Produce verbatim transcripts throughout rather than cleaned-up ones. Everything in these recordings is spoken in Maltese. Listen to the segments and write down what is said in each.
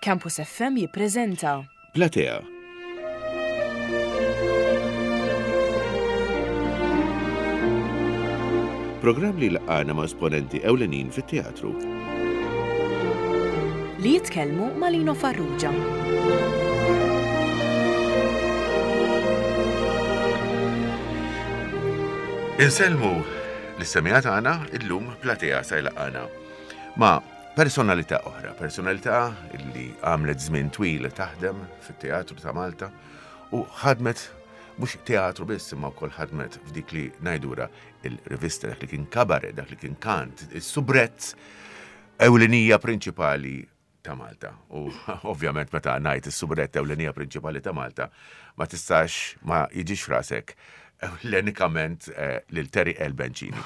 Campus F M jippreżenta Platea. Programm li laqana ma' esponenti ewlenin fit-teatru. Li jitkellmu ma' Lino Farrugia. Insellmu l-semija tagħna. Illum Platea sa jlaqana ma' personalità oħra, personalità illi għamlet żmien twil taħdem fit-teatru ta' Malta u ħadmet mhux teatru biss, imma wkoll ħadmet f'dik li ngħidura il-rivista, dak li kien kabaret, dak li kien kant, is-soubrette ewlenija prinċipali ta' Malta. U ovvjament meta ngħid is-soubrette ewlenija prinċipali ta' Malta, ma tistax ma jiġix frasek ewlenikament eh, lil Terry L. Bencini.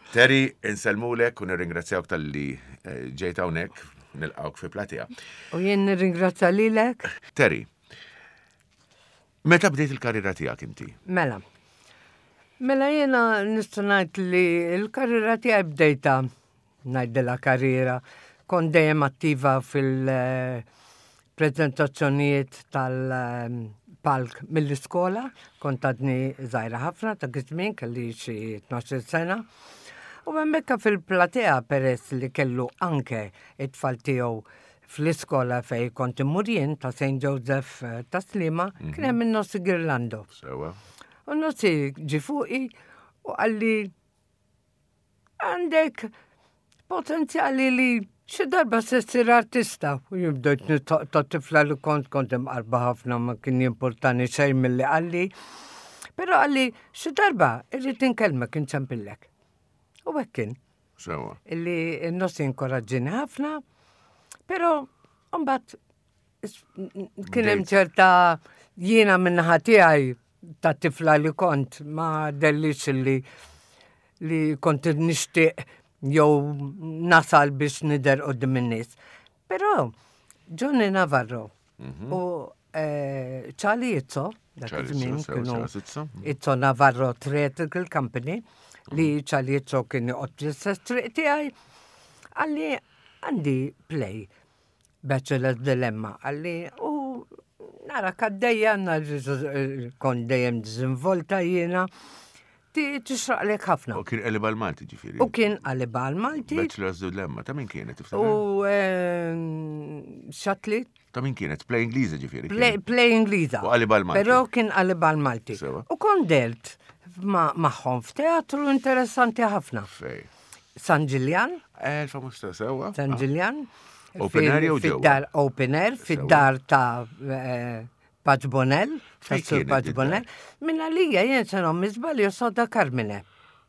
Terry, insellmulek u nirringrazzjawk talli eh, ġejt hawnhekk, nilqawk fi Platea. U jien nirringrazzja lilek. Terry, meta bdejt il-karriera tiegħek inti? Mela. Mela, jiena nista' ngħid li l-karriera tiegħi bdejta, ngħidilha karriera, kont dejjem attiva fil-prezentazzjonijiet tal-palk mill-iskola, kont għadni żgħira ħafna ta' żmien, kelli xi tnax-il sena. U hemmhekk fil-platea, peress li kellu anke it-tfal tiegħu fl-iskola fej kont immur jien ta' Saint Joseph eh, ta' Sliema, kien hemm in-Nossi Girlando. Sewa. U Nossi ġi fuqi u qalli, "Għandek potenzjali li xi darba se ssir artista." U jien bdejt ta' tifla li kont kont imqarba ħafna, ma kien jimportani xejn milli qalli. Però qalli, "Xi darba irrid inkellmek, inċempillek." U hekk kien. Sewa. Illi n-Nossi inkoraġġini ħafna, però mbagħad kien hemm Bdejt. ċerta, jiena min-naħa tiegħi ta' tifla li kont ma dellix li li kont nixtieq jew nasal biex nidher quddiem in-nies. Però Johnny Navarro u eh, Charlie Izzo, dak Charlie iż-żmien Izzo, sewa, kienu sewa, Izzo. Izzo Navarro Theatrical Company, li Charlie Izzo kien joqgħod fl-istess triq tiegħi, qalli, "Għandi play, Bachelor's Dilemma," qalli, "u nara kaddejja, kont dejjem diżinvolta jiena, ti tixraqlek ħafna." U kien qeliba l-Malti, ġifieri. U kien qaliba l-Malti. Bachelor's Dilemma, ta' min kienet, tiftakar? U ehm, xatli. Ta' min kienet? Play Ingliża, ġifieri. Play, kienet. Play Ingliża. U qaliba l-Malti. Però kien qaliba l-Malti. Sewa. U kont dehrt ma' magħhom f'teatru interessanti ħafna. Fej. San Ġiljan. Eh, il-famuż ta' sewa. San Ġiljan. Open air jew ġewwa? Fid-dar open air, fid-dar ta' eh, Paċ Bonell, Fejn ta' Sur kienet Paċ id-dar? Bonell. Minna lija jien se miżbal soda Carmine.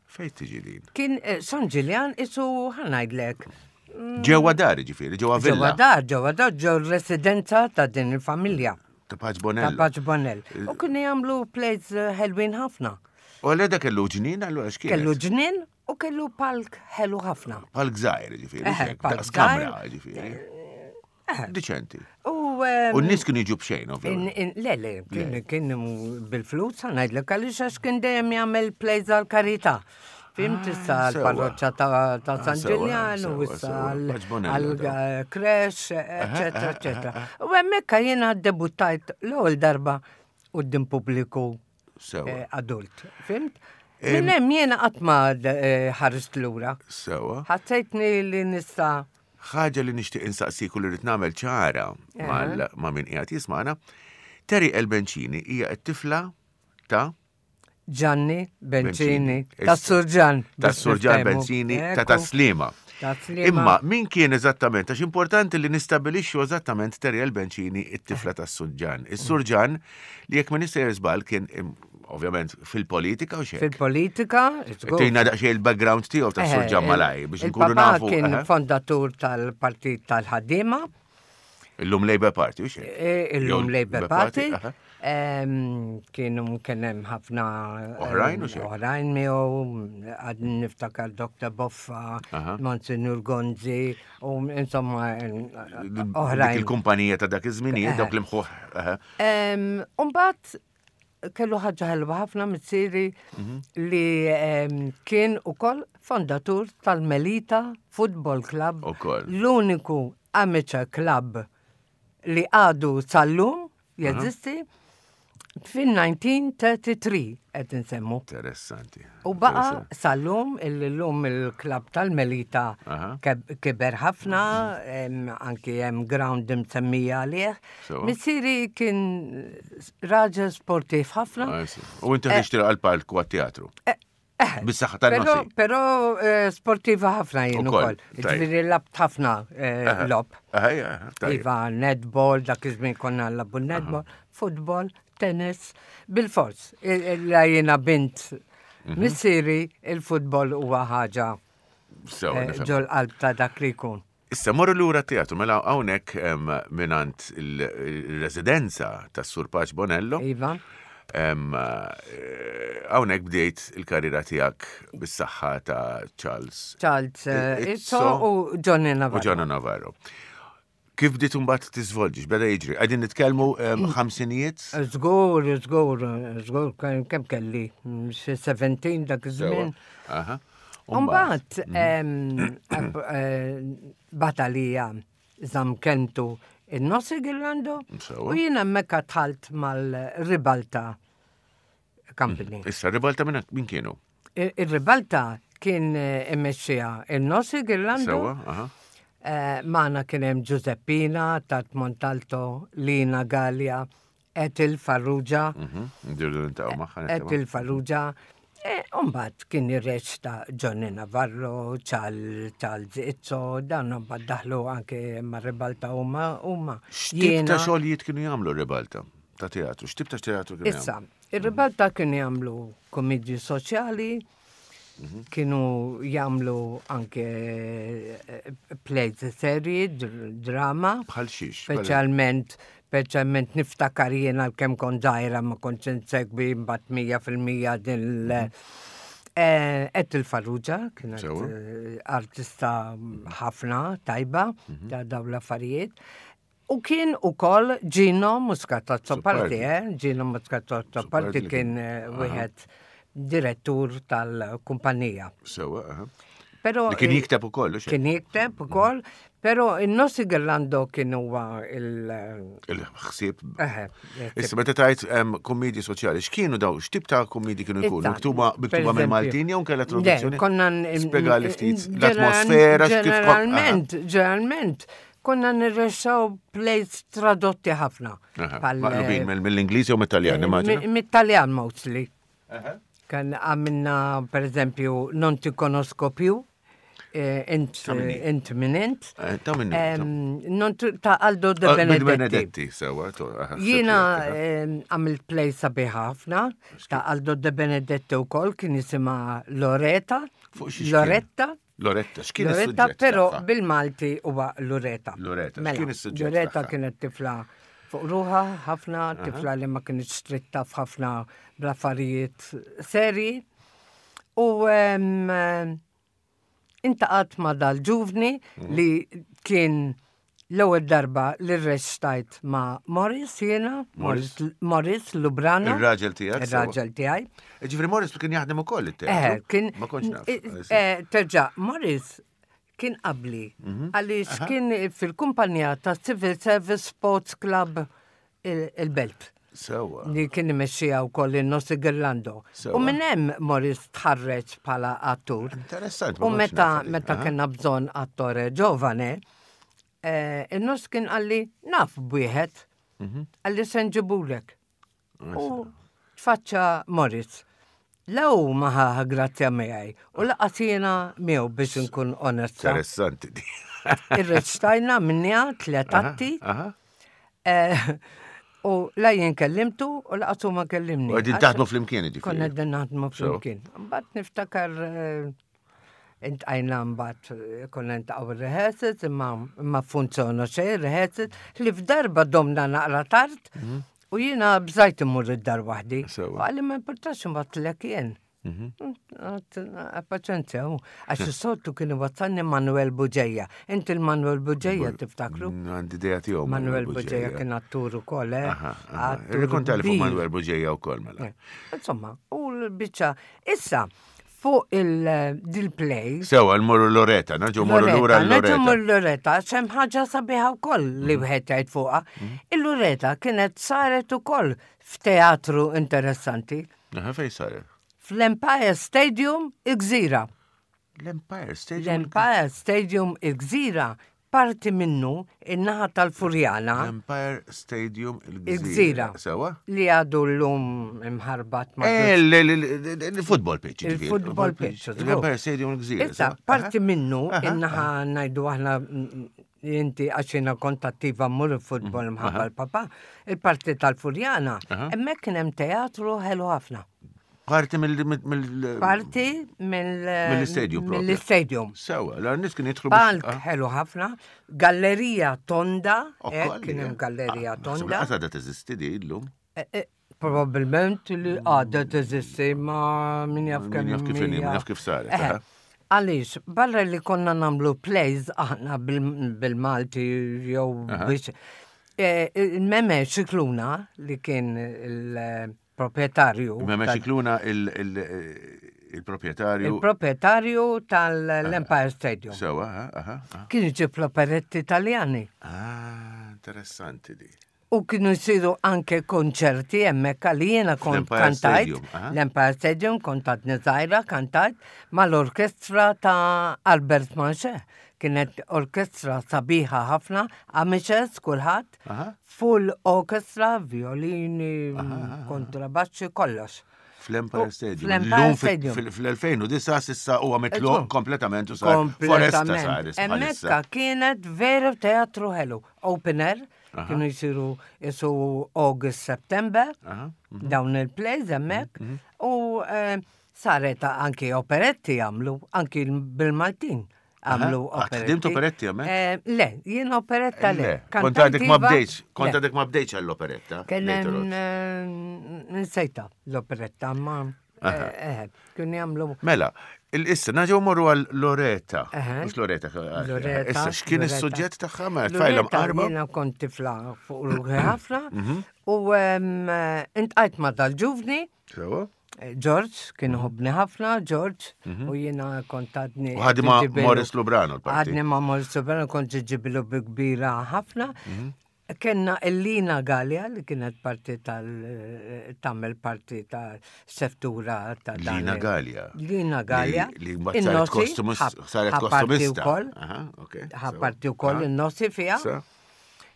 Fej tiġi din? Kien eh, San Ġiljan isu, ħa ngħidlek. Ġewwa dar, ġifieri, ġewwa Ġewwa villa. dar, ġewwa dar, ġew residenza ta' din il-familja. Ta' Paċ Ta' Bonello. Paċ Bonell. U kienu jagħmlu plays eh, ħelwin ħafna. U għalhekk kellu ġnien, allura x'kien? Kellu ġnien u kellu palk ħelu ħafna. Palk żgħir, ġifieri. Eħe, xek, palk daqs kamra, żgħir. ġifieri. Diċenti. U ehm, U n-nies kienu jiġu b'xejn, In, ovvjament. in, le, le, kien, kien bil-flus, ħa ngħidlek għaliex, għax kien dejjem jagħmel plays għal-karità. Fhimt, issa Ah, sewa. għal-parroċċa ta', ta Ah, San sewa, Ġiljan u sewa, issa sewa. Paċ Bonello, daw. għal-creche, eccetera, eccetera. U hemmhekk jiena debuttajt l-ewwel darba quddiem pubbliku Sewa. eh, adult. Fhimt? Minn hemm jiena qatt ma eh, ħarist lura. Sewa. Ħassejtni li nista' Ħaġa li nixtieq insaqsik u li rrid nagħmel ċara mal- ma' min qiegħed jismana. Terry L. Bencini hija t-tifla ta' Gianni Bencini, Bencini. ta' Surġan. Ta' Surġan Bencini ta' Taslima. Ta' Sliema. Imma min kien eżattament, għax importanti li nistabilixxu eżattament Terry L. Bencini, it-tifla ta' Surġan. Is-Surġan li, jekk ma nista' żball, kien im, ovvjament fil-politika u xejn. Fil-politika, żgur. Tina daqsxejn il-background tiegħu ta' Eh, Surġan il- malaj biex nkunu il-papà nafu. kien eh, fondatur tal-Partit tal-Ħaddiema, Illum Labour Party u xejn. eh, illum Jew Labour Party. aha. Em, Kienu kien hemm ħafna Oħrajn u em, xejn? Oħrajn miegħu, għad niftakar Doctor Boffa, Aha. Monsignor Gonzi, u insomma em, Dik oħrajn. il-kumpanija ta' dak iż-żminijiet, Eh. dawk l-imħuħ. aha. Em, Umbagħad kellu ħaġa ħelwa ħafna missieri Mhm. li em, kien ukoll fondatur tal-Melita Football Club. Ukoll. L-uniku amateur club li għadu sal-lum jeżisti fil-elf disa' mija u tlieta u tletin qed insemmu. Interessanti. U baqa sal-lum, il-lum il-klab tal-Melita Aha. keb- kiber ħafna, em, anki hemm ground msemmija għalih. Sewa. Missieri kien raġel sportiv ħafna. Ah, sì. U inti ħriġt għal-palk u għat-teatru. Bis-saħħa Pero, tan-Nossi. pero eh, sportiva ħafna jien Ukoll, ukoll. tajjeb. Ġifieri lgħabt ħafna eh, logħob. Aha, aha, tajjeb. Iva, netball, dak iż-żmien konna nilagħbu netball, football, tennis, bil-fors. Il- il- La jiena bint Mhm. missieri, il-futbol huwa ħaġa Sewa, eh, nifhem. ġol qalb ta' dak li jkun. Issa morru lura teatru, mela hawnhekk em, mingħand il-residenza tas-Sur Paċ Bonello. Iva. em, eh, Hawnhekk bdejt il-karriera tiegħek bis-saħħa ta' Charles Charles eh, Izzo Izzo u Johnny u Navarro. Gianna Navarro. Kif bdiet imbagħad tiżvolġi, x'beda jiġri? Qegħdin nitkellmu em, ħamsinijiet? Żgur, żgur, żgur, kemm kemm kelli, xi sbatax dak iż-żmien. Aha. Umbagħad, batalija żamm kelmtu in-Nossi Girlando Sewa. u jiena hemmhekk dħalt mal-Ribalta Company. Issa, Ribalta minn min kienu? Il- Il-Ribalta kien eh, immexxija in-Nossi Girlando. Sewa, aha. Eh, Magħna kien hemm Giuseppina, Tat Montalto, Lina Gallia, Etil Farrugia, Mhm. Ndirdu niltaqgħu magħha. Etil Farrugia. E, Umbagħad kien jirreċta Johnny Navarro, Charles Charles Izzo, dan umbagħad daħlu anke ma' Ribalta huma huma. X'tip ta' xogħlijiet kienu jagħmlu Ribalta ta' teatru? X'tip ta' teatru kienu Issa, jagħmlu? ir-Ribalta kienu jagħmlu komedji soċjali, kienu jagħmlu anke eh, plays serji, dr- drama. Bħal xiex? Speċjalment, speċjalment niftakar jiena l-kem kont żgħira ma kontx insegwi mbagħad mija fil-mija din l- Eh, Ethel Farrugia, kienet Sewa. eh, artista ħafna tajba ta' dawn l-affarijiet. U kien ukoll Gino Muscat Azzopardi, Azzopardi. eh? Gino Muscat Azzopardi Azzopardi kien eh, wieħed direttur tal-kumpanija. Sewa, aha. Pero Li kien eh, jikteb ukoll, hux hekk? Kien jikteb ukoll, pero in-Nossi Girlando kien huwa il- Il-ħsieb. Eħe, Issa, meta tajt em, kommedji soċjali, x'kienu daw, x'tip ta' kommedji kienu jkunu? Issa, Miktuba per miktuba eżempju. mill-Maltin jew kellha traduzzjoni? Le, konna n- Spjegali ftit ġeneral- l-atmosfera, x'kif Ġeneralment, ġeneralment, konna nirreċtaw plays tradotti ħafna. Aha, Pal- Maqlubin mill- mill-Ingliż jew mit-Taljan, immaġina? Mi- Mit-Taljan mostly. Kan għamilna, per eżempju, Non ti conosco più, eh, int, Ta' min hi? int min int. Eh, Ta' minni. Em, Non ti- ta' Aldo De Ah, Benedetti. Benedetti, sewa. to- aha, Jiena sewa, em, għamilt play sabiħa ħafna ta' Aldo De Benedetti u kol kien jisimha Loreta. Fuq xiex kien? Loretta. Loretta, x'kien Loretta, is-suġġett pero tagħha? bil-Malti huwa Loreta. Loreta, Mela, x'kien is-suġġett Loreta tagħha? kienet tifla fuq ruħha ħafna, tifla li ma kienet stritta f'ħafna bl-affarijiet seri. U em, iltqajt ma' dal-ġuvni Mhm. li kien l-ewwel darba li rreċtajt ma' Morris jiena, Morris? Morris Morris Lubrano. Ir-raġel tiegħek, sewa. Ir-raġel tiegħi. Ġifieri Morris kien jaħdem ukoll Eh, it-teatru? kien. Ma kontx naf. eh, eh, Terġa, Morris kien qabli. Mhm. Għaliex kien fil-kumpanija ta' Civil Service Sports Club il- il-Belt. Sewa. Li kien imexxija wkoll in-Nossi Girlando. Sewa. U minn hemm Morris tħarreġ bħala attur. Interessant. ma U kontx meta naf li. meta Aha. kellna bżonn attore ġovane, eh, in-Noss kien qalli naf bwieħed, Mhm. qalli se nġibulek. U tfaċċa Morris. Law maħa grazzja miegħi u lanqas jiena miegħu biex nkun onesta. Interessanti di. Irreċtajna minnija tliet atti Aha. eh, u la jien kellimtu u lanqas hu ma kellimni. U qegħdin taħdmu flimkien, ġifieri. Konna qegħdin naħdmu So. flimkien. Mbagħad niftakar eh, iltqajna mbagħad eh, konna niltaqgħu rehearsals imma ma funzjona xejn rehearsals li f'darba domna naqra tard u jiena bżajt immur id-dar waħdi. Sewa. U qalli ma importax imbagħad jien. Paċenzja, u għax is-soltu kien iwassalni Manuel Buġeja. Inti il-Manuel Buġeja tiftakru? Għandi idea tiegħu. Manuel Buġeja kien attur ukoll, eh? Aha, aha. Attur Irrikonta li fuq kbir. Manuel Buġeja wkoll mela. Eh, Insomma, u l-biċċa. Issa, Fuq il-play. Sewa, l-morru Loreta, nerġgħu morru lura Nerġgħu l-Loreta. mmorru Loreta, hemm ħaġa sabiħa wkoll li wieħed jgħid fuqha. Il-Loreta kienet saret ukoll f'teatru interessanti. Aha, fej saret? Fl-Empire Stadium il-Gżira. L-Empire Stadium. L-Empire Stadium il-Gżira parti minnu in-naħa tal-Furjana L-Empire Stadium il-Gżira. Il-Gżira. Sewa? li għadu l-lum imħarbat ma' Eh, l- l- l- Il-football pitch. ġifieri. Il-football pitch, żgur. L-Empire Stadium il-Gżira. Issa, sewa? parti minnu, Aha, in-naħa ngħidu aħna mm, inti għax jiena kont attiva mmur il-futbol mħabba l-papa, il-parti tal-Furjana, Aha. hemmhekk kien hemm teatru ħelu ħafna. Parti mill- mill- mill- Parti mill- Mill-istadium propju. Mill-istadium. Sewa, la nies kien jidħlu biex- Palk ah, ħelu ħafna, gallerija tonda, eh, ukoll, kien hemm eh. gallerija Ah, naħseb tonda. li Għadha teżisti di illum. Eh, eh, Probabilment li għadha teżisti ma min jaf Min kemm jaf kif inhi, min hija. jaf kif saret, Eh, aha. Għaliex, barra li konna nagħmlu plays aħna bil- bil-Malti jew Aha. biex. eh, Il-Meme Xikluna li kien il-proprietarju. Meme tal- Xikluna il- il- il-proprietarju. Il-proprietarju tal-Empire Stadium. Sewa, aha, aha, aha. Kien iġib l-operetti italjani. Ah, interessanti di. U kienu jsiru anke konċerti hemmhekk għalli jiena kont Fl-Empire kantajt. Stadium, aha. L-Empire Stadium kont għadni żgħira kantajt mal-orkestra ta' Albert Manche. Kienet orkestra sabiħa ħafna, amiċes kulħadd, Aha. full orchestra, violini, kontrabaxxi, kollox. Fl-Empire U- Stadium. fl-Empire Illum fil- Stadium. fil- Fl-elfejn u disgħa sissa huwa mitluq Ekku. kompletament u sar foresta sar Kompletament. bħalissa. Hemmhekk kienet veru teatru ħelu. Open air, kienu jisiru jisu August, September, Aha, mhm. dawn il-plays hemmhekk, u eh, saret anki operetti għamlu, anki bil-Maltin għamlu Aha. Ah, operetti. ħdimt operetti hemmhekk? Eh, Le, jien operetta le. Le, kont għadek ma Kantantiva, bdejtx, kont le. għadek ma bdejtx għall-operetta. Kien later hemm, on. eh, nsejta l-operetta, ma eh, eh, kienu jagħmlu Mela, il-issa, nerġgħu morru għal Loreta. Aha. Mux Loreta. Loreta, Issa, x'kien Loreta. is-suġġett tagħha ma tfajla Loreta mqarba? jiena kont tifla fuq ruħi ħafna u em, eh, intqajt ma dal-ġuvni, Sewa? eh, George, kien ħobni ħafna, George, u jiena kont għadni. Mhm. U ħadni ma' ġibilu- Morris Lubrano l-parti. Għadni ma' Morris Lubrano, kont ġibilu bi kbira ħafna. Mhm. Kenna Elina Gallia li kienet parti tal tagħmel parti ta' seftura ta' dan Lina il- Gallia. Lina Gallia. Li li mbagħad saret In-Nossi, kostumis- ħa- saret ħa parti kostumista. wkoll. Aha, ok. Ħa Sewa. parti wkoll Aha. in-Nossi fiha. Sa?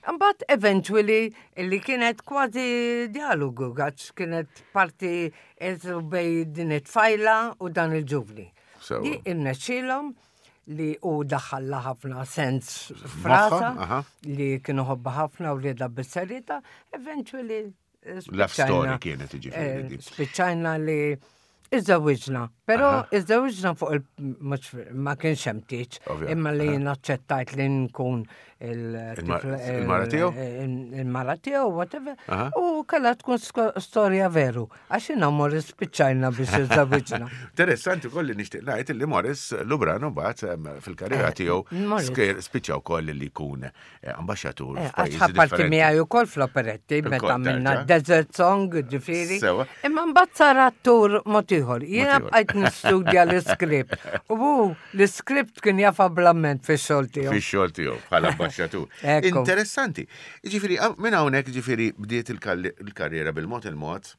Mbagħad eventually li kienet kważi dialogu għax kienet parti eżu bej din it-tfajla u dan il-ġuvni. Sewa. Di irnexxielhom li u daħalla ħafna sens frasa aha. li kienu ħobba ħafna u rieda bis-serjetà, eventually eh, Love story spiċċajna- kienet jiġifieri eh, di. Spiċċajna li iżżewwiġna, però iżżewwiġna fuq il mhux ma kienx hemm tieġ, Ovvja, imma li jien aċċettajt li nkun il- Il-mar- tifla- il-mara tiegħu? il- Il-mara tiegħu, whatever. Aha. U kellha tkun sko- storja veru, għax jiena Morris spiċċajna biex iżżewwiġna. Interessanti koll li nixtieq ngħid li Morris Lubrano mbagħad em, fil-karriera tiegħu Morris. sker- spiċċa wkoll li jkun eh, ambaxxatur Eh, Għax f'pajjiżi ħa parti differenti. miegħi wkoll fl-operetti meta Ukoll, minna terġa'. Desert Song, ġifieri. Sewa. Imma mbagħad sar attur mod ieħor. Jiena Mod ieħor. bqajt nistudja l-iskript. U hu l-iskript kien jafa blamment fix-xogħol tiegħu. Fix-xogħol tiegħu bħala ambaxxatur. Ekku. Interessanti. Ġifieri minn hawnhekk ġifieri bdiet il-kalli- il-karriera bil-mod il-mod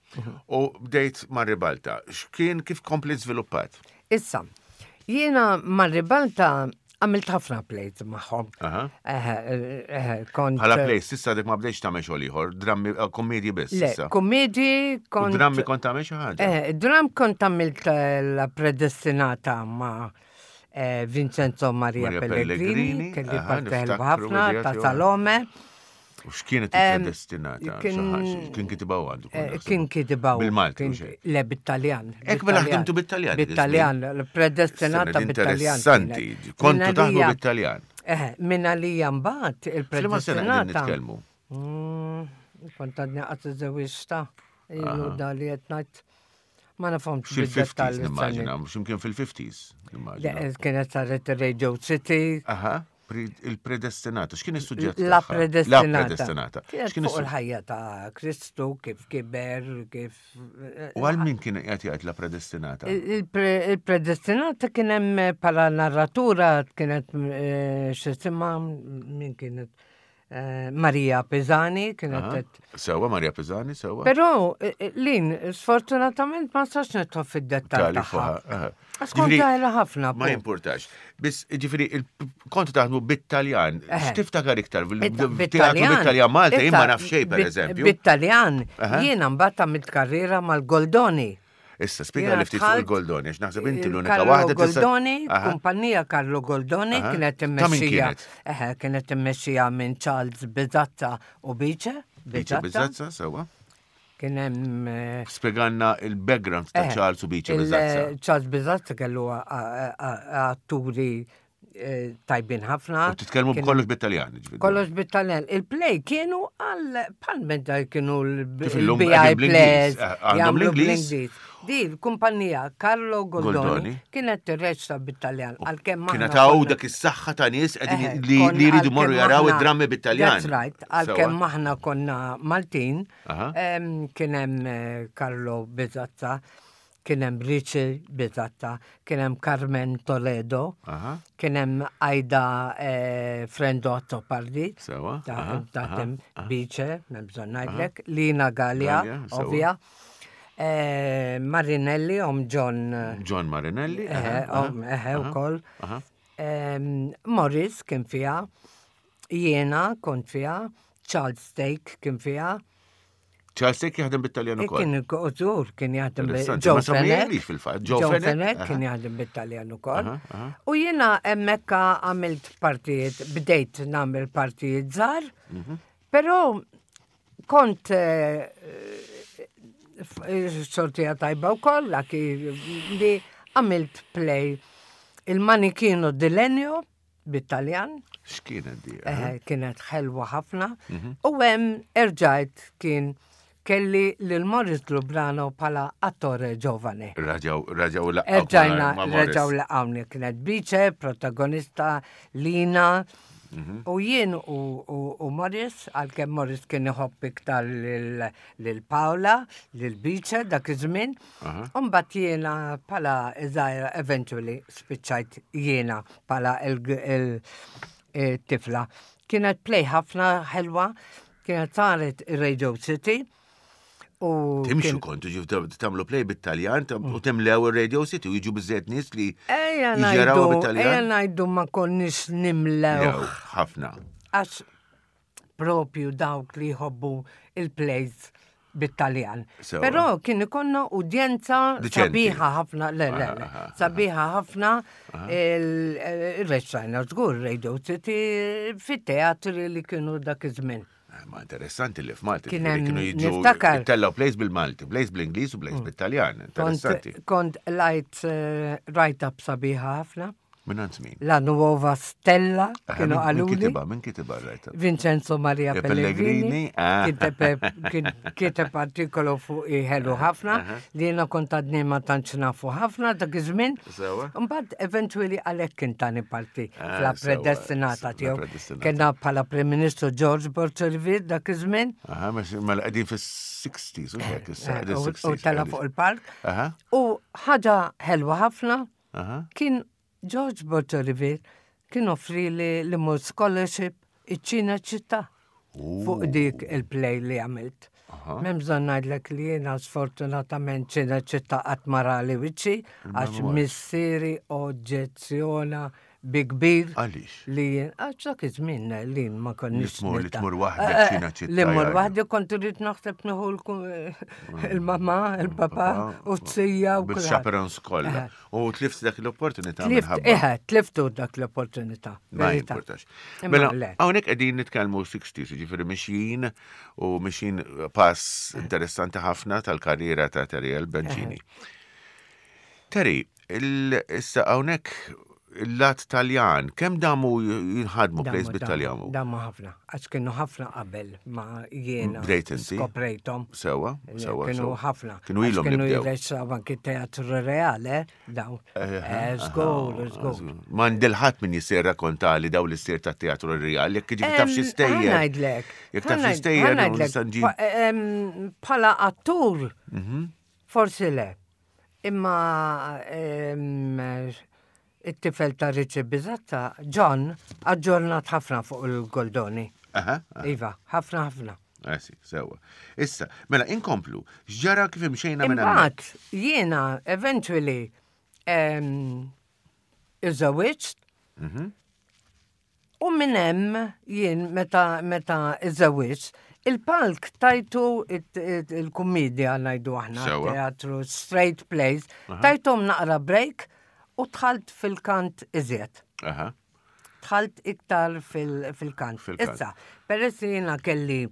u bdejt ma' Ribalta. X'kien kif kompli żviluppat? Issa, jiena ma' Ribalta għamilt ħafna plays magħhom. Aha. Eh, eh, kont. Bħala plays, s'issa dik ma bdejx tagħmel xogħol ieħor, drammi eh, kommedji biss Le, issa. kommedji U kont. drammi kont tagħmel xi ħaġa. Eh, dram kont għamilt eh, la predestinata ma' eh, Vincenzo Maria, Maria Pellegrini, Pellegrini, kelli aha, parti ħelba niftakru ħafna idea ta' tiegħu. Salome. U x'kienet Em, il-predestinata? kien- Xi ħaġa? Kien kitibha għandu. Eh, Kien kitibaw. Bil-Malti, kien- u xejn. Le, bit-Taljan. Ek mela ħdimtu bit-Taljan dik Bit-Taljan, predestinata Sena bit-Taljan. Interessanti, kienet. kontu Min taħdmu għalija- bit-Taljan. Eh, min għalija mbagħad F'liema sena qegħdin il-predestinata. nitkellmu? Mm, Kont għadni qatt iżżewwiġta, ilu da li qed ngħid. Ma nafhomx Fil-fifties bid-dettall nimmaġina, x'imkien fil-fifties Le, nimmaġina. Kienet saret Radio City, Aha. Il-Predestinata, x'kien is-suġġett? La tagħha? Predestinata. La Predestinata. Kienet X'kien fuq is-suġġett? il-ħajja ta' Kristu, kif kiber, kif. U għal min kien qed jgħid La Predestinata? Il-pre- Il-Predestinata kien hemm bħala narratura kienet eh, x'isimha, min kienet, eh, Maria Pisani kienet Aha. qed- Sewwa, Maria Pisani, sewwa. Però eh, eh, Lin, sfortunatament ma nistax nidħol fid-dettall Tali tagħha. fuqha, aha. Għax kont Ġifieri, żgħira ħafna. Ma pu. jimpurtax. Biss, ġifieri, il- kontu taħdmu bit-Taljan. Eħe. X'tiftakar iktar? Bit- Bit-teatru bit-Taljan Malta, jien ma naf xejn, per bit- eżempju. Bit-Taljan, Aha. jiena mbagħad għamilt karriera mal-Goldoni. Issa, spiega Jiena li ftit fuq dħalt il-Goldoni, għax naħseb inti l-unika Carlo waħda tista' Goldoni, Aha. kumpanija Carlo Goldoni, Aha. kienet Ta' min immexxija. kienet? Eħe, kienet immexxija minn Charles Bizazza u Bice. Bice Bizazza, sewwa. Kien hemm eh, Spieganna il-background ta' eh, Charles u Bice il- Bizazza. Charles Bizazza kellu a- a- a- atturi eh, tajbin ħafna. U titkellmu Kien- b'kollox bit-Taljan, ġifieri. Kollox bit-Taljan. Il-play kienu għal bħal meta kienu Kif illum l-B I qegħdin bl-Ingliż. plays. Eh, għandhom jagħmlu l-Ingliż. bl-Ingliż. Di l-kumpanija Carlo Goldoni Goldoni. kienet tirreċta bit-Taljan. Għalkemm aħna Kienet hawn konna- dak is-saħħa ta' nies qegħdin Eh, li konna- li jridu morru għalkemm jaraw aħna- id-drammi bit-Taljan. That's right. Għalkemm aħna konna Maltin, Aha. em, kien hemm eh, Carlo Bizazza, kien hemm Richie Bizazza, kien hemm Carmen Toledo, Aha. kien hemm Aida eh, Frendo Azzopardi, Sewwa, ta' aha, taħdem Bice, m'hemm bżonn ngħidlek, Lina Gallia, Gallia, sewwa. ovvja, eh, Marinelli, om John, eh, John Marinelli. eh, aha, om, eħe, aha, ukoll. aha. Em, Morris kien fija, jiena kont fija, Charles Stake kien fija, Charles Stake jaħdem bit-Taljan E ukoll. kien użur, kien jaħdem bi- Interessanti, Joe ma semmejlix Fenech. fil-fatt. Joe Joe Fenech, Fenech aha. kien jaħdem bit-Taljan ukoll. Aha, aha. U jiena hemmhekk għamilt partijiet, bdejt nagħmel partijiet żgħar, Mhm. però kont eh, f- xortija tajba wkoll, laki li għamilt play il-Manichino di Legno bit-Taljan. X'kienet di? Eh, kienet ħelwa ħafna. Mhm. U hemm erġajt kien kelli lil Morris Lubrano bħala attore giovane. Raġaw, raġaw laqgħu Erġajna, ma' Morris. reġaw laqgħuni, kienet Bice, protagonista, Lina. Mhm. U jien u, u, u Morris, għalkemm Morris kien iħobb iktar lil lil Paola, lil Bice dak iż-żmien. U mbagħad jiena bħala żgħira eventually spiċċajt jiena bħala il-tifla. Kienet play ħafna ħelwa, kienet saret Radio City. U Timxu kien- kontu ġif tagħmlu play bit-Taljan tam- u temlew ir-Radio City u jiġu biżżejjed nies li Ejja jiġi jaraw ngħidu, ejja bit-Taljan. ngħidu ma konniex nimlew. Jew, ħafna. Għax propju dawk li jħobbu il-plays bit-Taljan. Sewwa. Però kien ikonna udjenza Diċenti. sabiħa ħafna, le, le, le, Aha, aha, sabiħa ħafna il-reċajna żgur Radio City fit-teatri li kienu dak iż-żmien. Eh, Ma interessanti li f'Malta Kien ġifieri hemm- kienu jiġu niftakar. tellaw plays bil-Malti, plays bl-Ingliż u plays bit-Taljan. Kont, Interessanti. kont lajt eh, write-up sabiħa ħafna. Minn għand min? La Nuova Stella Aha, kienu min- Min qaluli. kitibha, min kitibha r-write-up? Vincenzo Maria E Pellegrini Pellegrini, ah. kiteb kien- kiteb artikolu fuq ħelu ħafna li jiena kont għadni ma tantx nafu ħafna dak iż-żmien. Sewwa. Mbagħad eventually għalhekk kien tani parti Ah, fla sewwa, Predestinata la tiegħu. Predestinata. Kellna bħala Prim Ministru George Borg dak iż-żmien. Aha, mela qegħdin fis-sixties, u hekk issa Eh, qegħdin U sixties. u tela qegħdin. fuq il-park. Aha, U ħaġa ħelwa ħafna aha. kien George Borg kien offri li li mur scholarship iċ-ċina ċittà fuq dik il-play li għamilt. M'hemm bżonn ngħidlek li jiena sfortunatament ċina ċittà qatt ma rali wiċċi għax missieri oġġezzjona bi kbir Għaliex? li jien għax dak iż-żmien li ma konniex Li tmur- li nilta- tmur waħdek Eh, eh, ċina ċittà, Li mur jgħidu. waħdi kont irrid naħseb nieħu il-mamma, il-papà u t-sija u kulħadd. Bil-chaperons kollha. U tlift dak l-opportunità Tlift, minħabba. eħe, tliftu dak l-opportunità. Ma verità. jimportax. Imma Mela, le. hawnhekk qegħdin nitkellmu sixties, jiġifieri mixjin u mixjin pass interessanti ħafna tal-karriera ta' Terry Bencini. Terry, il- issa hawnhekk Il-lat Taljan, kemm damu jinħadmu plays Damu, bit-Taljan? damu, Damu ħafna, għax kienu ħafna qabel ma jiena Bdejt inti? skoprejthom. Sewa, sewa. Kienu sewa. ħafna. Kienu Għax ilhom li Kienu bdew. jirreċaw anki teatru reale, daw. Eh, Żgur, żgur. M'għandil ħadd min jisir rakkontali daw l-istir ta' teatru real, jekk ġifi taf xi stejjer. Ħa ngħidlek. Jekk taf xi stejjer, nista' nġib. Bħala attur, Mhm. forsi le. Imma em, it-tifel ta' Richie Bizatta, John, aġġornat ħafna fuq il-Goldoni. Aha, aha. Iva, ħafna ħafna. Eh, sì, sewa. Issa, mela, inkomplu, x'ġara kif imxejna minn hemmhekk? Imbagħad jiena eventually em, iżżewwiġt Mhm. u minn hemm jien meta meta iżżewwiġt il-palk tajtu it- it- il-kummedja ngħidu aħna, Sewa. teatru straight plays, tajthom naqra break u dħalt fil-kant iżjed. Aha. Dħalt iktar fil- fil-kant. Fil-kant. Issa, peress li jiena kelli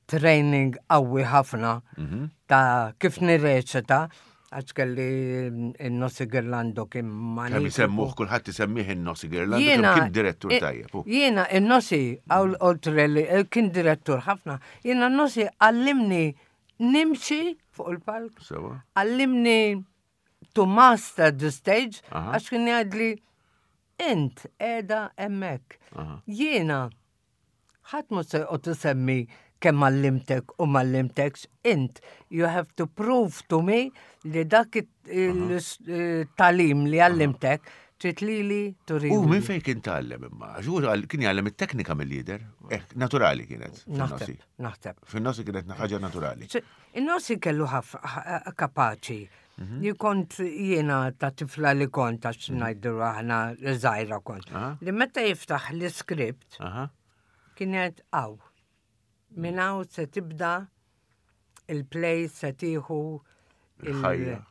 training qawwi ħafna Mhm. ta' kif nirreċita, għax kelli in-Nosi Girlando kien Kemm manifiku. isemmuh kulħadd isemmih in-Nosi Girlando, Jiena- kemm kien direttur i- tajjeb. hu. Jiena in-Nosi, għaw oltre li eh, kien direttur ħafna, jiena n-Nosi għallimni nimxi fuq il-palk, Sewa. għallimni to master the stage, Aha. għax kien jgħidli int qiegħda hemmhekk. Aha. Jiena ħadd mhu se joqgħod isemmi kemm għallimtek u m'għallimtekx, int you have to prove to me li dak it-tagħlim li għallimtek trid lili turi. U minn fejn kien tgħallem imma? Għax hu għal- kien jgħallem it-teknika mill-lider. Eh, naturali kienet. fin-Nosi. Naħseb, naħseb. Fin-Nosi kienet ħaġa naturali. ċe- In-Nosi kellu ħaf kapaċi. Mhm. Li kont jiena ta' tifla li kont għax ngħidu aħna żgħira kont. Aha. Li meta jiftaħ l-iskript Aha. kien jgħid aw. Minn hawn se tibda il-play se tieħu il- Il-ħajja.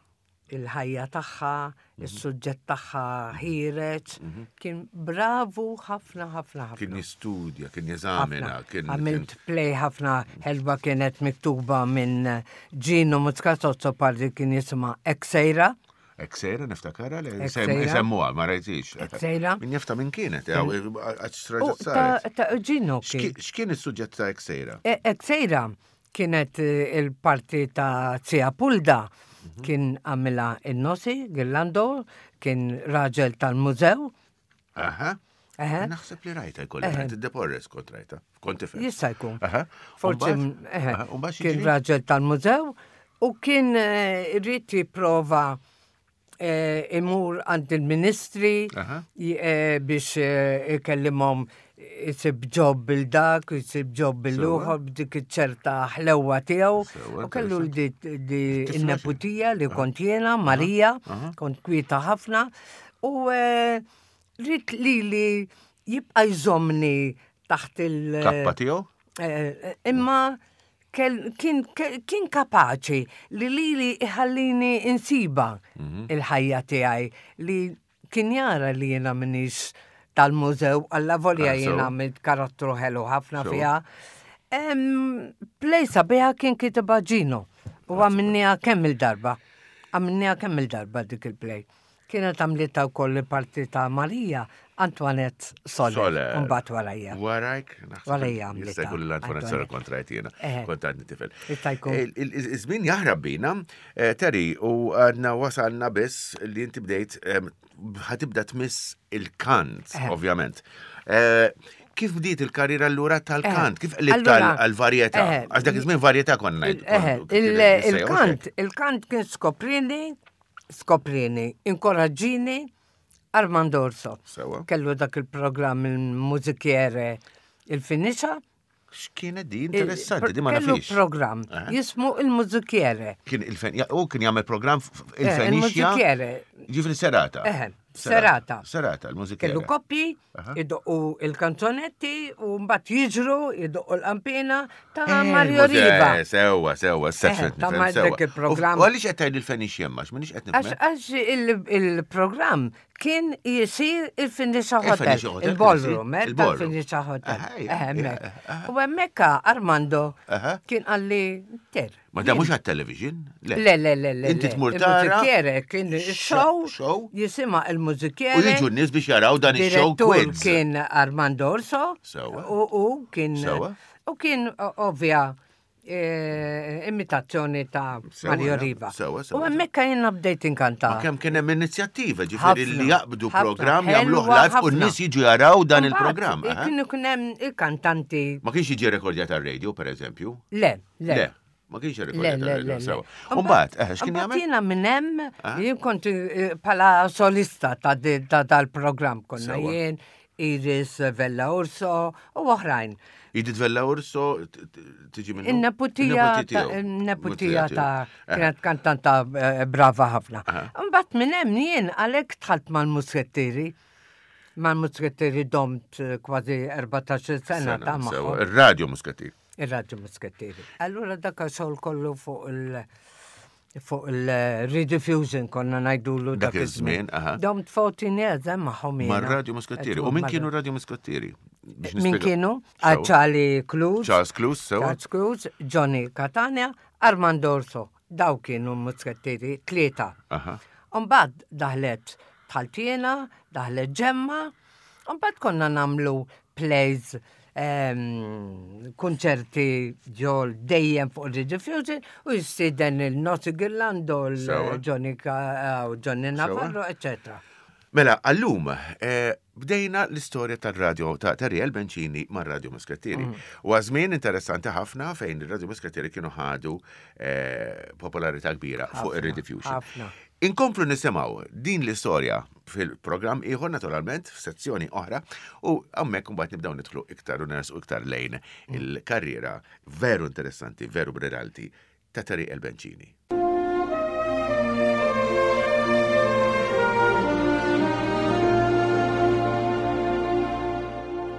il-ħajja tagħha, is-suġġett tagħha ħiereġ. Kien bravu ħafna ħafna ħafna. Kien jistudja, kien jeżamina, ħafna. kien. Għamilt play ħafna ħelba kienet miktuba minn Gino Muscat Azzopardi kien jisimha Eksejra. Eksejra niftakara li Eksejra. isemmuha, ma rajtix. Eksejra. Min jafta minn kienet, għax U raġa ta' saret. ta' Gino kien. X'kien is-suġġett ta' Eksejra? E- Eksejra kienet eh, il-parti ta' Zia Pulda kien għamilha in-Nosi, Girlando, kien raġel tal-mużew. Aha. Eħe. Naħseb li rajta jkolli, rajt id-Deporres kont rajta. Kont tifel. Jista' jkun. Aha. Forsi, Umbagħad? eħe, Aha, umbagħad kien x'jiġri? raġel tal-mużew u kien eh, irid jipprova eh, imur għand il-ministri Aha. j- eh, biex eh, ikellimhom jisib job bil-dak, jisib job bil-ieħor, b'dik ċerta ħlewa tiegħu. Sewa, U kellu di di Tifla n-neputija li kont jiena, Marija, kont kwieta ħafna, u eh, ried li li jibqa' jżomni taħt il- Kappa tiegħu? Eh, imma kell- kien kien kapaċi li li li iħallini insiba il-ħajja tiegħi li kien jara li jiena m'iniex tal-mużew alla volja Ah, so. jiena għamilt karattru ħelu ħafna So. fiha. Em, Play sabiħa kien kitibha Gino u għamilniha kemm il-darba. Għamilniha kemm il-darba dik il-play. Kienet għamlitha wkoll il-parti ta' Marija Antoinette Soler. Soler. Mbagħad warajja. Warajk? naħseb Warajja għamlitha. Jista' jkun l-Antoinette Soler kont rajt jiena. Eħe. Kont għadni tifel. Jista' jkun. Il- il- Iż-żmien jaħrab bina, eh, Terry, u għadna wasalna biss li inti bdejt em, ħa tibda tmiss il-kant, Eħe. ovvjament. Eh, Kif bdiet il-karriera allura tal-kant? Kif qlibt Allura, għal-varjetà? eħe. Għax dak iż-żmien varjetà konna ngħid. Eħe, kont- il- kien Il-kant, il-kant kien skoprini, skoprini, inkoraġġini Armando Orso. Sewa. Kellu dak il-programm il-mużikiere il-Fenicia. X'kienet di interessanti, di ma Kellu nafix. programm Eħe. jismu il-mużikiere. Kien il-fen, ja, u kien jagħmel programm f- Eh, il-Fenicia. Il-mużikiere. Ġifri serata. Eħe, serata. Serata, il-mużikiere. Kellu koppji, Aha. idoqqu il-kanzonetti u mbagħad jiġru, idoqqu l-qampina ta' Eh, Mario muże- Riva. Sewa, sewa, Eh, s-sefet. ta' ma' dak il-programm. U għaliex qed tgħid il-Fenicia ma, x'm'iniex qed Għax nifhem. għax il- il-programm kien jisir il-Fenicia Hotel, Il-Fenicia Hotel il-ballroom, kien eh, isir? Il-ballroom. tal-Fenicia Hotel. Aha, Eh, ja, hemmhekk. ja, aha. U hemmhekk Armando Aha. kien qalli ter. Ma da mhux għat-television? Le, le, le, le. Inti tmur tara. Il-mużikiere kien show, Show. jisimha il-mużikiere. U jiġu n-nies biex jaraw dan ix-show Direttur quiz. kien Armando Orso. Sewa. U, u kien. Sewa. U kien o- ovvja eh, imitazzjoni ta' Sewa, Mario ja. Riva. Sewa, sewa, U hemmhekk jiena bdejt inkanta. Ma kemm kien hemm inizjattiva, ġifieri Ħafna, li jaqbdu ħafna, programm jagħmluh ħelwa live u ħafna. n-nies jiġu jaraw dan Mbagħad, il-programm. eh? Kienu kien hemm il-kantanti. Ma kienx jiġi rekordjat għar-radio, per eżempju? Le, le. Le, ma kienx Le, rekordjat le, le, għar-radio. le. Sewa. U mbagħad, eh, x'kien Mbagħad jagħmel? Jiena minn hemm, Ah. jien kont eh, bħala solista ta' di- ta' dal-programm konna Sewa. jien, Iris Vella Urso u oħrajn. Edith Vella Urso t- t- tiġi minnu? In-neputija In-neputi ta' tiegħu. in-neputija ta' tiegħu. Eh, kienet kantanta eh, brava ħafna. Aha. Mbagħad minn hemm jien għalhekk dħalt mal-muskettieri. Mal-muskettieri domt eh, kważi erbatax-il sena ta' Sena, sewa. magħhom. Ir-radio Muskattir. Ir-radio muskettieri. Allura dak xogħol kollu fuq il- fuq il-rediffusion konna ngħidulu Dak dak iż-żmien, iż-żmien. aha. Domt fourteen years hemm magħhom jiena. Mar-radio Muskattieri. U min kienu radio Muskattieri? Biex Min nispjega- kienu? Sewa. Ah, Charlie Cruz. Charles Cruz, sewa. Charles Cruz, Johnny Catania, Armando Orso. Daw kienu muskettieri, tlieta. Aha. Umbagħad daħlet Tħaltiena, daħlet Ġemma, umbagħad konna nagħmlu plays, ehm, konċerti ġol dejjem fuq il-Rediffusion u jistieden il-Noti Girlando, Sewa. il-Johnny Ka- u Johnny Navarro, eccetera. Mela, għallum, eh, bdejna l-istorja tal-radio ta' Tariel Bencini ma' Radio Muskattieri. Mm. U għażmien interessanti ħafna fejn il-Radio Muskattieri kienu ħadu eh, popolarità kbira fuq Ħafna, il-Rediffusion. ħafna. Inkomplu nisimgħu din l-istorja fil-programm ieħor naturalment f'sezzjoni oħra u hemmhekk mbagħad nibdew nidħlu iktar u nersqu iktar lejn il-karriera veru interessanti, veru brillanti ta' Tariel Bencini.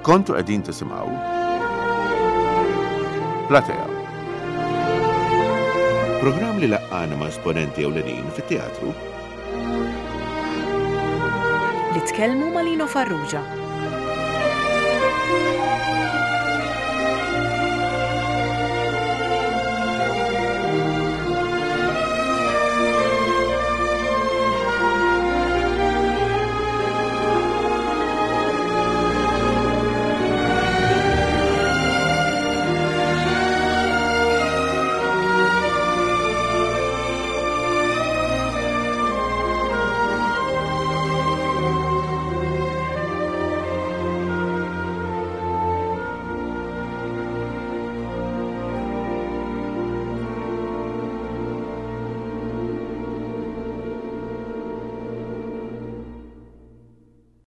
Kontu qegħdin tisimgħu Platea. Programm li laqqana ma' esponenti ewlenin fit-teatru Li tkellmu ma' Lino Farrugia.